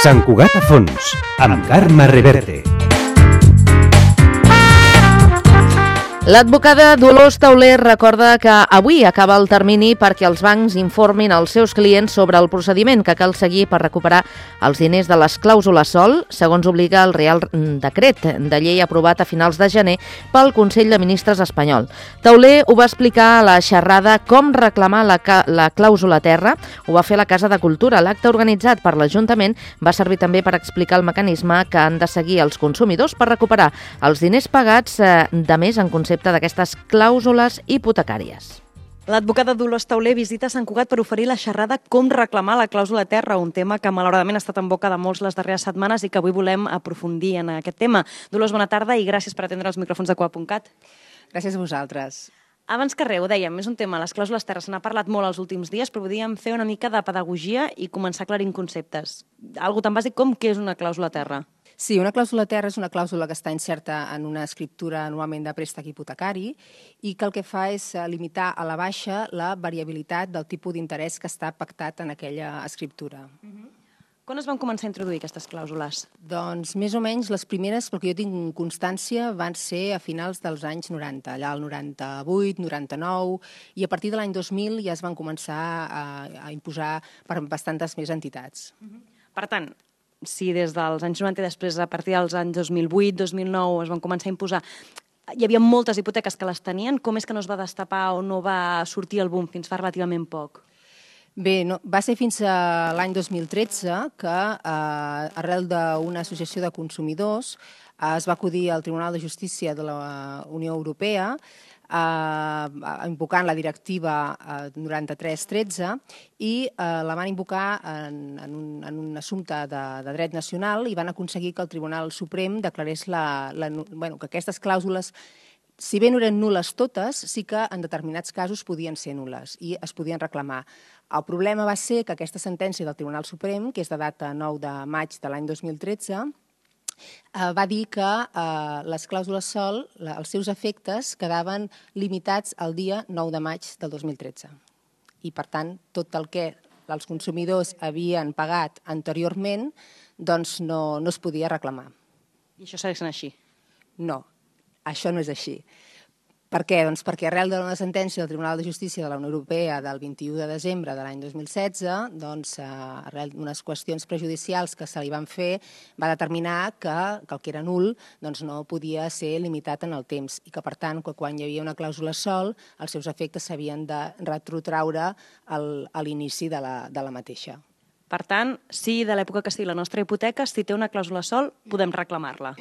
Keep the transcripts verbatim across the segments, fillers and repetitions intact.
Sant Cugat a fons, amb Carme Reverte. L'advocada Dolors Tauler recorda que avui acaba el termini perquè els bancs informin als seus clients sobre el procediment que cal seguir per recuperar els diners de les clàusules sol, segons obliga el Real Decret de llei aprovat a finals de gener pel Consell de Ministres espanyol. Tauler ho va explicar a la xerrada Com reclamar la, la clàusula terra, ho va fer a la Casa de Cultura. L'acte organitzat per l'Ajuntament va servir també per explicar el mecanisme que han de seguir els consumidors per recuperar els diners pagats eh, de més en concepte d'aquestes clàusules hipotecàries. L'advocada Dolors Tauler visita Sant Cugat per oferir la xerrada Com reclamar la clàusula terra, un tema que malauradament ha estat en boca de molts les darreres setmanes i que avui volem aprofundir en aquest tema. Dolors, bona tarda i gràcies per atendre els micròfons de Coa punt cat. Gràcies a vosaltres. Abans que res, ho dèiem, és un tema, les clàusules terra, se n'ha parlat molt els últims dies, però podríem fer una mica de pedagogia i començar aclarint conceptes. Algo tan bàsic com què és una clàusula terra. Sí, una clàusula terra és una clàusula que està inserta en una escriptura normalment de préstec hipotecari i que el que fa és limitar a la baixa la variabilitat del tipus d'interès que està pactat en aquella escriptura. Uh-huh. Quan es van començar a introduir aquestes clàusules? Doncs més o menys les primeres, perquè jo tinc constància, van ser a finals dels anys noranta, allà el noranta-vuit, noranta-nou, i a partir de l'any dos mil ja es van començar a, a imposar per bastantes més entitats. Uh-huh. Per tant, si des dels anys noranta i després a partir dels anys dos mil vuit, dos mil nou es van començar a imposar, hi havia moltes hipoteques que les tenien, com és que no es va destapar o no va sortir el boom fins fa relativament poc? Bé, no, va ser fins a l'any dos mil tretze que, eh, arrel d'una associació de consumidors, eh, es va acudir al Tribunal de Justícia de la Unió Europea eh, invocant la directiva eh, noranta-tres tretze i eh, la van invocar en, en, un, en un assumpte de, de dret nacional i van aconseguir que el Tribunal Suprem declarés la, la, bueno, que aquestes clàusules, si bé no eren nul·les totes, sí que en determinats casos podien ser nul·les i es podien reclamar. El problema va ser que aquesta sentència del Tribunal Suprem, que és de data nou de maig de l'any dos mil tretze, va dir que eh, les clàusules sol, la, els seus efectes, quedaven limitats al dia nou de maig del dos mil tretze. I, per tant, tot el que els consumidors havien pagat anteriorment doncs no, no es podia reclamar. I això segueix sent així? No, això no és així. Per què? Doncs perquè arrel d'una sentència del Tribunal de Justícia de la Unió Europea del vint-i-u de desembre de l'any dos mil setze, doncs, arrel d'unes qüestions prejudicials que se li van fer, va determinar que, que el que era nul doncs, no podia ser limitat en el temps i que, per tant, que quan hi havia una clàusula sol, els seus efectes s'havien de retrotraure al, a l'inici de la, de la mateixa. Per tant, si de l'època que sigui la nostra hipoteca, si té una clàusula sol, podem reclamar-la.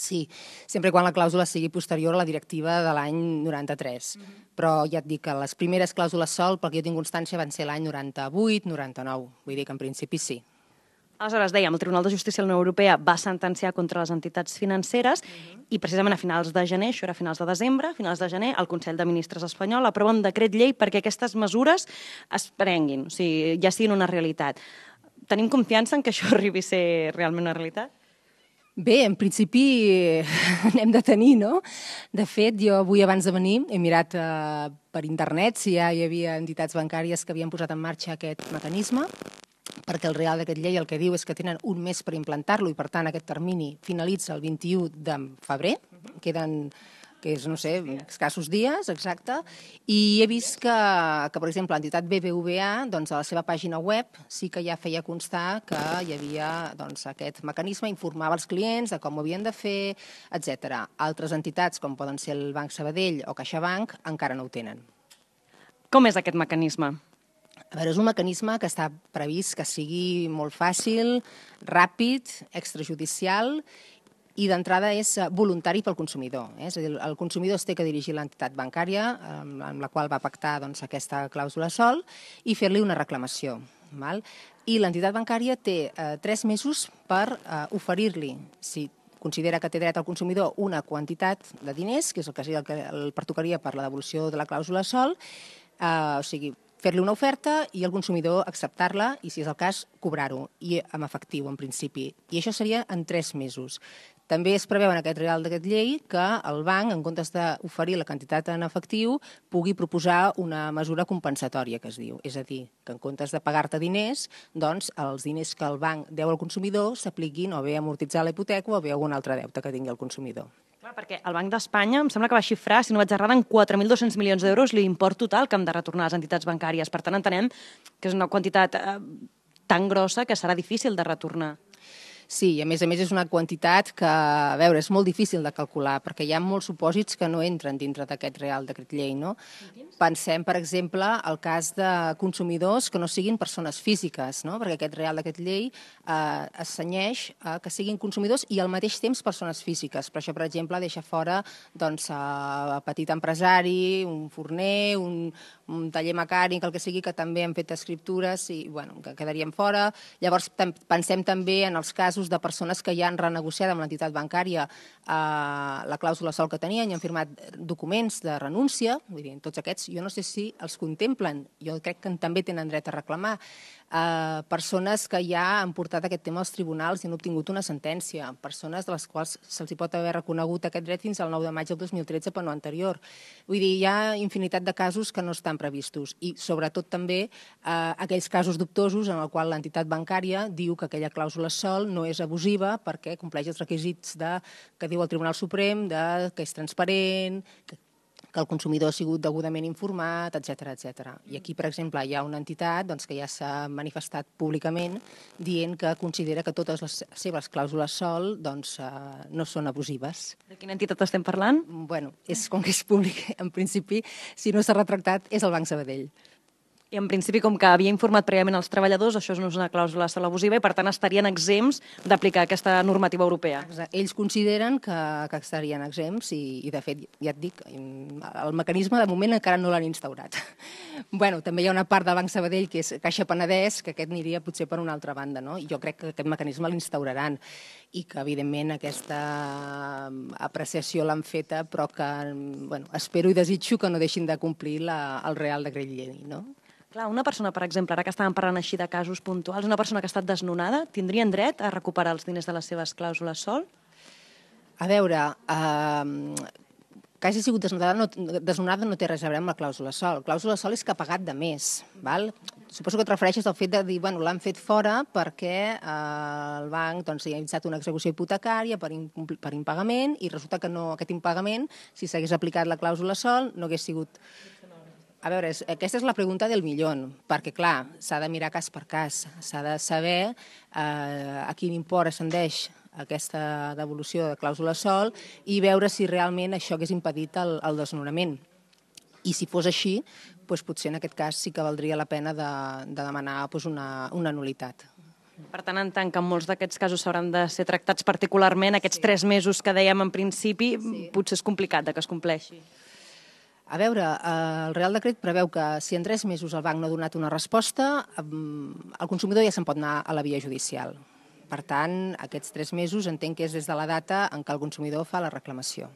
Sí, sempre quan la clàusula sigui posterior a la directiva de l'any noranta-tres. Uh-huh. Però ja et dic que les primeres clàusules sol, perquè jo tinc constància, van ser l'any noranta-vuit noranta-nou. Vull dir que en principi sí. Aleshores, dèiem, el Tribunal de Justícia de la Unió Europea va sentenciar contra les entitats financeres uh-huh. i precisament a finals de gener, això era a finals de desembre, a finals de gener, el Consell de Ministres espanyol aprova un decret llei perquè aquestes mesures es prenguin, o sigui, ja siguin una realitat. Tenim confiança en que això arribi a ser realment una realitat? Bé, en principi n'hem de tenir, no? De fet, jo avui abans de venir he mirat eh, per internet si ja hi havia entitats bancàries que havien posat en marxa aquest mecanisme, perquè el Real Decret Llei el que diu és que tenen un mes per implantar-lo i, per tant, aquest termini finalitza el vint-i-u de febrer, queden que és, no sé, escassos dies, exacte, i he vist que, que per exemple, l'entitat B B V A, doncs, a la seva pàgina web sí que ja feia constar que hi havia doncs, aquest mecanisme, informava els clients de com ho havien de fer, etcètera. Altres entitats, com poden ser el Banc Sabadell o CaixaBank, encara no ho tenen. Com és aquest mecanisme? A veure, és un mecanisme que està previst que sigui molt fàcil, ràpid, extrajudicial i d'entrada és voluntari pel consumidor. Eh? És a dir, el consumidor es té que dirigir a l'entitat bancària amb la qual va pactar doncs, aquesta clàusula sol i fer-li una reclamació. Val? I l'entitat bancària té eh, tres mesos per eh, oferir-li, si considera que té dret al consumidor, una quantitat de diners, que és el que, el que el pertocaria per la devolució de la clàusula sol, eh, o sigui, fer-li una oferta i el consumidor acceptar-la i, si és el cas, cobrar-ho, i amb efectiu, en principi. I això seria en tres mesos. També es preveu en aquest Real Decret Llei que el banc, en comptes d'oferir la quantitat en efectiu, pugui proposar una mesura compensatòria, que es diu. És a dir, que en comptes de pagar-te diners, doncs els diners que el banc deu al consumidor s'apliquin o bé a amortitzar la hipoteca o bé a algun altre deute que tingui el consumidor. Clar, perquè el Banc d'Espanya em sembla que va xifrar, si no vaig errada, en quatre mil dos-cents milions d'euros l'import total que han de retornar les entitats bancàries. Per tant, entenem que és una quantitat eh, tan grossa que serà difícil de retornar. Sí, i a més a més és una quantitat que, a veure, és molt difícil de calcular, perquè hi ha molts supòsits que no entren dintre d'aquest Real Decret Llei, no? Pensem, per exemple, el cas de consumidors que no siguin persones físiques, no? Perquè aquest Real Decret Llei eh, es cenyeix a que siguin consumidors i al mateix temps persones físiques. Per això, per exemple, deixa fora doncs, a petit empresari, un forner, un, un taller mecànic, el que sigui, que també han fet escriptures i, bueno, que quedarien fora. Llavors, pensem també en els casos de persones que ja han renegociat amb l'entitat bancària eh, la clàusula sòl que tenien i han firmat documents de renúncia. Vull dir, tots aquests, jo no sé si els contemplen, jo crec que també tenen dret a reclamar. Eh, persones que ja han portat aquest tema als tribunals i han obtingut una sentència, persones de les quals se'ls pot haver reconegut aquest dret fins al nou de maig del dos mil tretze per no anterior. Vull dir, hi ha infinitat de casos que no estan previstos i sobretot també eh, aquells casos dubtosos en el qual l'entitat bancària diu que aquella clàusula sòl no és abusiva perquè compleix els requisits de, que diu el Tribunal Suprem, de, que és transparent, que que el consumidor ha sigut degudament informat, etcètera, etcètera. I aquí, per exemple, hi ha una entitat doncs, que ja s'ha manifestat públicament dient que considera que totes les seves clàusules sòl doncs, eh, no són abusives. De quina entitat estem parlant? Bueno, és com que és públic, en principi, si no s'ha retractat, és el Banc Sabadell. I en principi, com que havia informat prèviament els treballadors, això no és una clàusula sòl abusiva i, per tant, estarien exempts d'aplicar aquesta normativa europea. Exacte. Ells consideren que, que estarien exempts i, i, de fet, ja et dic, el mecanisme de moment encara no l'han instaurat. Bueno, també hi ha una part del Banc Sabadell, que és Caixa Penedès, que aquest aniria potser per una altra banda, no? I jo crec que aquest mecanisme l'instauraran i que, evidentment, aquesta apreciació l'han feta, però que, bueno, espero i desitjo que no deixin de complir la, el Real Decret Llei, no? Clar, una persona, per exemple, ara que estàvem parlant així de casos puntuals, una persona que ha estat desnonada, tindrien dret a recuperar els diners de les seves clàusules sòl? A veure, eh, que hagi sigut desnonada no, desnonada no té res a veure amb la clàusula sòl. La clàusula sòl és que ha pagat de més. Val? Suposo que et refereixes al fet de dir, bueno, l'han fet fora perquè eh, el banc doncs, ha iniciat una execució hipotecària per, incompli, per impagament i resulta que no, aquest impagament, si s'hagués aplicat la clàusula sòl, no hagués sigut... A veure, aquesta és la pregunta del milion, perquè, clar, s'ha de mirar cas per cas, s'ha de saber eh, a quin import ascendeix aquesta devolució de clàusula sòl i veure si realment això hagués impedit el, el desnonament. I si fos així, doncs potser en aquest cas sí que valdria la pena de, de demanar doncs, una, una nulitat. Per tant, en tant que molts d'aquests casos s'hauran de ser tractats particularment, aquests sí. tres mesos que dèiem en principi, sí. potser és complicat de que es compleixi. A veure, el Real Decret preveu que si en tres mesos el banc no ha donat una resposta, el consumidor ja se'n pot anar a la via judicial. Per tant, aquests tres mesos entenc que és des de la data en què el consumidor fa la reclamació.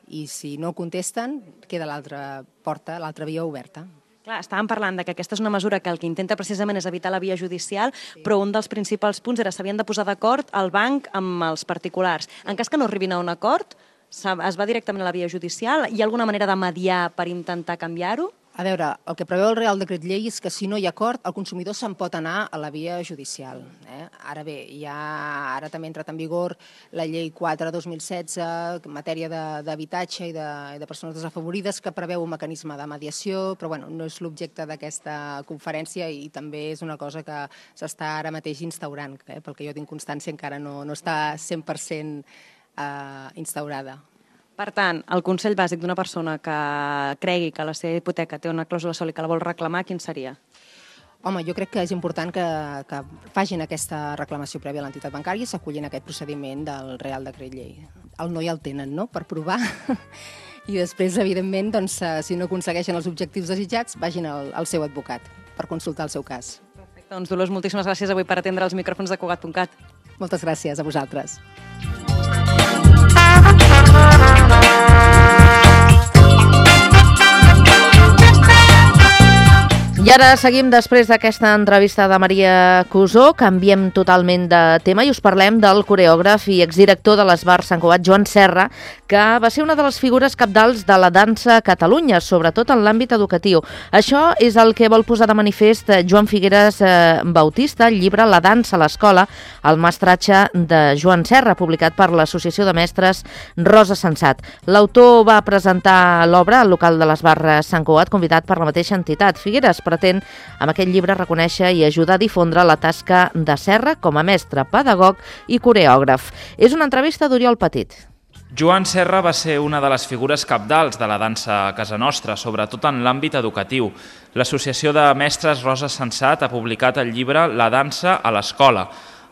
I si no contesten, queda l'altra porta, l'altra via oberta. Clar, estàvem parlant de que aquesta és una mesura que el que intenta precisament és evitar la via judicial, sí. però un dels principals punts era s'havien de posar d'acord el banc amb els particulars. En cas que no arribin a un acord, es va directament a la via judicial? Hi ha alguna manera de mediar per intentar canviar-ho? A veure, el que preveu el Real Decret Llei és que si no hi ha acord, el consumidor se'n pot anar a la via judicial. Eh? Ara bé, ja, ara també ha entrat en vigor la llei quatre dos mil setze en matèria d'habitatge i de, de persones desafavorides que preveu un mecanisme de mediació, però bueno, no és l'objecte d'aquesta conferència i també és una cosa que s'està ara mateix instaurant, eh? Pel que jo tinc constància encara no, no està cent per cent Uh, instaurada. Per tant, el consell bàsic d'una persona que cregui que la seva hipoteca té una clàusula sòl i que la vol reclamar, quin seria? Home, jo crec que és important que, que facin aquesta reclamació prèvia a l'entitat bancària i s'acullin a aquest procediment del Real Decret Llei. El no ja el tenen, no?, per provar. I després, evidentment, doncs, si no aconsegueixen els objectius desitjats, vagin al, al seu advocat per consultar el seu cas. Perfecte. Doncs, Dolors, moltíssimes gràcies avui per atendre els micròfons de Cugat punt cat. Moltes gràcies a vosaltres. I ara seguim després d'aquesta entrevista de Maria Cusó, canviem totalment de tema i us parlem del coreògraf i exdirector de l'Esbar Sant Cugat, Joan Serra, que va ser una de les figures cabdals de la dansa a Catalunya, sobretot en l'àmbit educatiu. Això és el que vol posar de manifest Joan Figueras eh, Bautista, el llibre La dansa a l'escola, el mestratge de Joan Serra, publicat per l'Associació de Mestres Rosa Sensat. L'autor va presentar l'obra al local de l'Esbar Sant Cugat, convidat per la mateixa entitat. Figueras pretén amb aquest llibre reconèixer i ajudar a difondre la tasca de Serra com a mestre, pedagog i coreògraf. És una entrevista d'Oriol Petit. Joan Serra va ser una de les figures cabdals de la dansa a casa nostra, sobretot en l'àmbit educatiu. L'Associació de Mestres Rosa Sensat ha publicat el llibre La dansa a l'escola,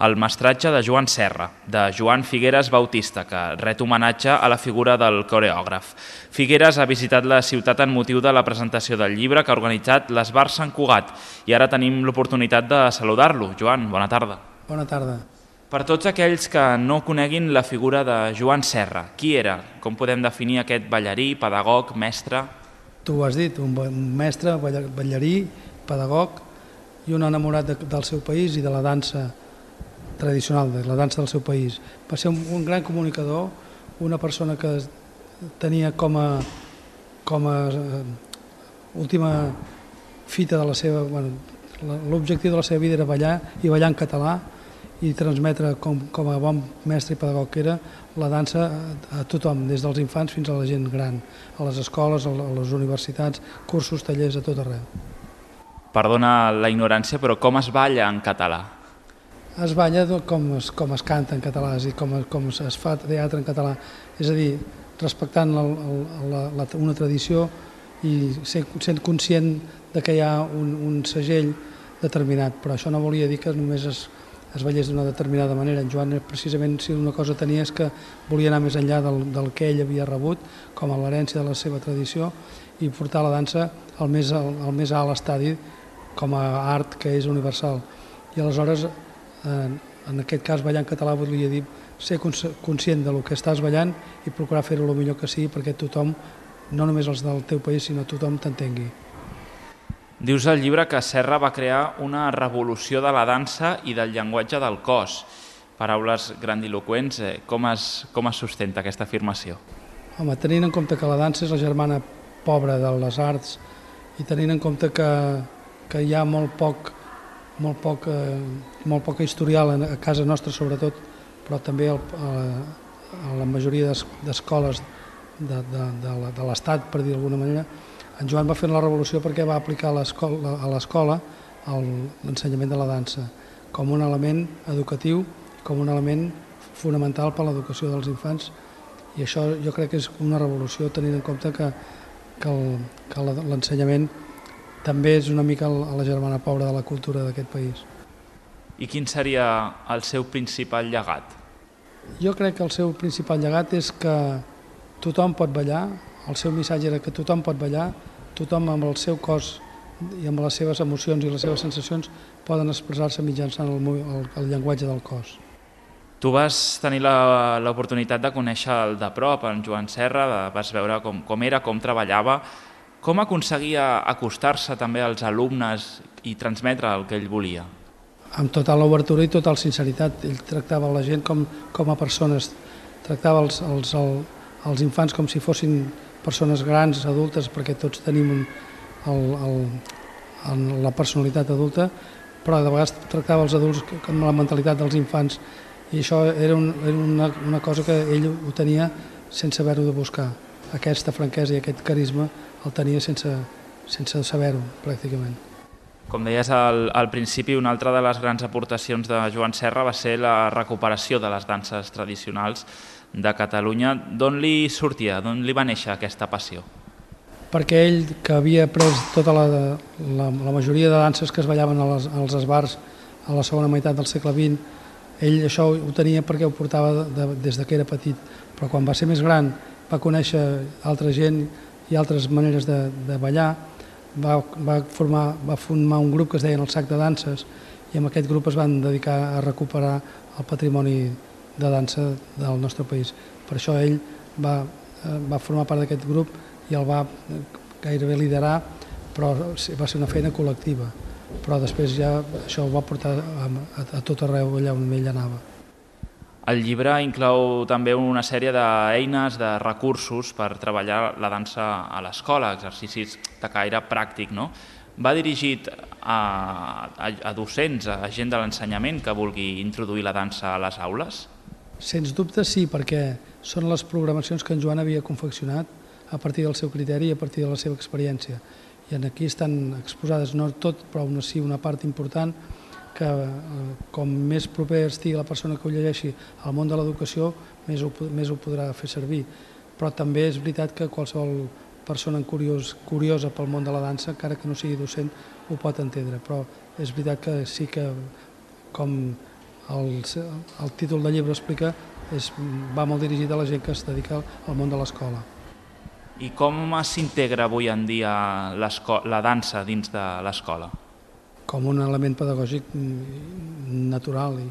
el mestratge de Joan Serra, de Joan Figueras Bautista, que ret homenatge a la figura del coreògraf. Figueras ha visitat la ciutat en motiu de la presentació del llibre que ha organitzat l'Esbar Sant Cugat i ara tenim l'oportunitat de saludar-lo. Joan, bona tarda. Bona tarda. Per tots aquells que no coneguin la figura de Joan Serra, qui era? Com podem definir aquest ballarí, pedagog, mestre? Tu ho has dit, un mestre, ballarí, pedagog i un enamorat de, del seu país i de la dansa tradicional, de la dansa del seu país. Va ser un, un gran comunicador, una persona que tenia com a, com a uh, última fita de la seva... Bueno, l'objectiu de la seva vida era ballar i ballar en català i transmetre com, com a bon mestre i pedagog que era la dansa a, a tothom, des dels infants fins a la gent gran, a les escoles, a les universitats, cursos, tallers, a tot arreu. Perdona la ignorància, però com es balla en català? Es balla com es, com es canta en català, és a dir, com, com es fa teatre en català, és a dir, respectant la, la, la, una tradició i sent, sent conscient de que hi ha un, un segell determinat, però això no volia dir que només es, es ballés d'una determinada manera. En Joan, precisament, si una cosa tenia és que volia anar més enllà del, del que ell havia rebut, com a l'herència de la seva tradició, i portar la dansa al més, al, al més alt estadi com a art que és universal. I aleshores, en aquest cas, ballar en català volia dir ser conscient del que estàs ballant i procurar fer-ho el millor que sigui perquè tothom, no només els del teu país, sinó tothom t'entengui. Dius al llibre que Serra va crear una revolució de la dansa i del llenguatge del cos. Paraules grandiloqüents, com es, com es sustenta aquesta afirmació? Home, tenint en compte que la dansa és la germana pobra de les arts i tenint en compte que, que hi ha molt poc molt poc, eh, molt poca historial a casa nostra sobretot, però també el, a, a la majoria d'escoles de, de, de, de l'Estat, per dir d'alguna manera, en Joan va fer la revolució perquè va aplicar a l'escola l'ensenyament de la dansa com un element educatiu, com un element fonamental per a l'educació dels infants, i això jo crec que és una revolució tenint en compte que, que l'ensenyament també és una mica a la germana pobra de la cultura d'aquest país. I quin seria el seu principal llegat? Jo crec que el seu principal llegat és que tothom pot ballar, el seu missatge era que tothom pot ballar, tothom amb el seu cos i amb les seves emocions i les seves sensacions poden expressar-se mitjançant el, el, el llenguatge del cos. Tu vas tenir l'oportunitat de conèixer el de prop, en Joan Serra, vas veure com, com era, com treballava. Com aconseguia acostar-se també als alumnes i transmetre el que ell volia? Amb total obertura i total sinceritat. Ell tractava la gent com, com a persones, tractava els, els, els infants com si fossin persones grans, adultes, perquè tots tenim un, el, el, la personalitat adulta, però de vegades tractava els adults amb la mentalitat dels infants i això era, un, era una, una cosa que ell ho tenia sense haver-ho de buscar. Aquesta franquesa i aquest carisma el tenia sense, sense saber-ho, pràcticament. Com deies al, al principi, una altra de les grans aportacions de Joan Serra va ser la recuperació de les danses tradicionals de Catalunya. D'on li sortia, d'on li va néixer aquesta passió? Perquè ell, que havia pres tota la, la, la majoria de danses que es ballaven als, als esbars a la segona meitat del segle vint, ell això ho tenia perquè ho portava de, de, des que era petit, però quan va ser més gran va conèixer altra gent i altres maneres de, de ballar, va, va, formar, va formar un grup que es deien el Sac de Danses i amb aquest grup es van dedicar a recuperar el patrimoni de dansa del nostre país. Per això ell va, va formar part d'aquest grup i el va gairebé liderar però va ser una feina col·lectiva. Però després ja això ho va portar a, a, a tot arreu allà on ell anava. El llibre inclou també una sèrie d'eines, de recursos per treballar la dansa a l'escola, exercicis de caire pràctic, no? Va dirigit a, a, a docents, a gent de l'ensenyament que vulgui introduir la dansa a les aules? Sens dubte sí, perquè són les programacions que en Joan havia confeccionat a partir del seu criteri i a partir de la seva experiència. I aquí estan exposades, no tot, però una, sí una part important, que com més proper estigui la persona que ho llegeixi al món de l'educació, més ho, més ho podrà fer servir. Però també és veritat que qualsevol persona curiós, curiosa pel món de la dansa, encara que no sigui docent, ho pot entendre. Però és veritat que sí que, com el, el títol del llibre explica, és, va molt dirigit a la gent que es dedica al món de l'escola. I com s'integra avui en dia la dansa dins de l'escola? Com un element pedagògic natural i,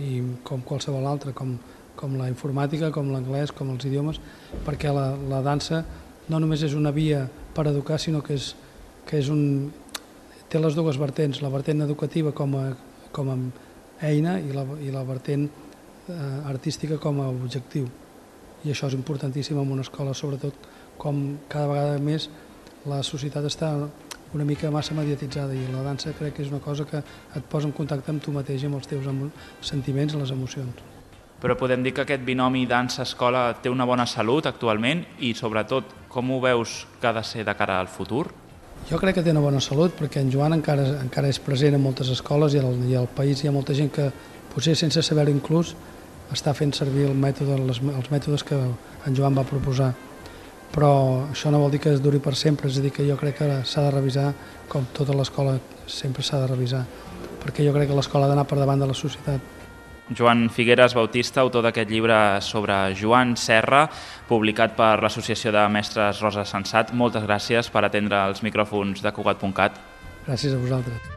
i com qualsevol altre, com, com la informàtica, com l'anglès, com els idiomes, perquè la, la dansa no només és una via per educar, sinó que, és, que és un, té les dues vertents, la vertent educativa com a, com a eina i la, i la vertent eh, artística com a objectiu. I això és importantíssim en una escola, sobretot com cada vegada més la societat està una mica massa mediatitzada i la dansa crec que és una cosa que et posa en contacte amb tu mateix i amb els teus sentiments i les emocions. Però podem dir que aquest binomi dansa-escola té una bona salut actualment i sobretot com ho veus que ha de ser de cara al futur? Jo crec que té una bona salut perquè en Joan encara, encara és present en moltes escoles i al, i al país hi ha molta gent que potser sense saber-ho inclús està fent servir el mètode, les, els mètodes que en Joan va proposar. Però això no vol dir que es duri per sempre, és a dir, que jo crec que s'ha de revisar com tota l'escola sempre s'ha de revisar, perquè jo crec que l'escola ha d'anar per davant de la societat. Joan Figueres Bautista, autor d'aquest llibre sobre Joan Serra, publicat per l'Associació de Mestres Rosa Sensat. Moltes gràcies per atendre els micròfons de Cugat punt cat. Gràcies a vosaltres.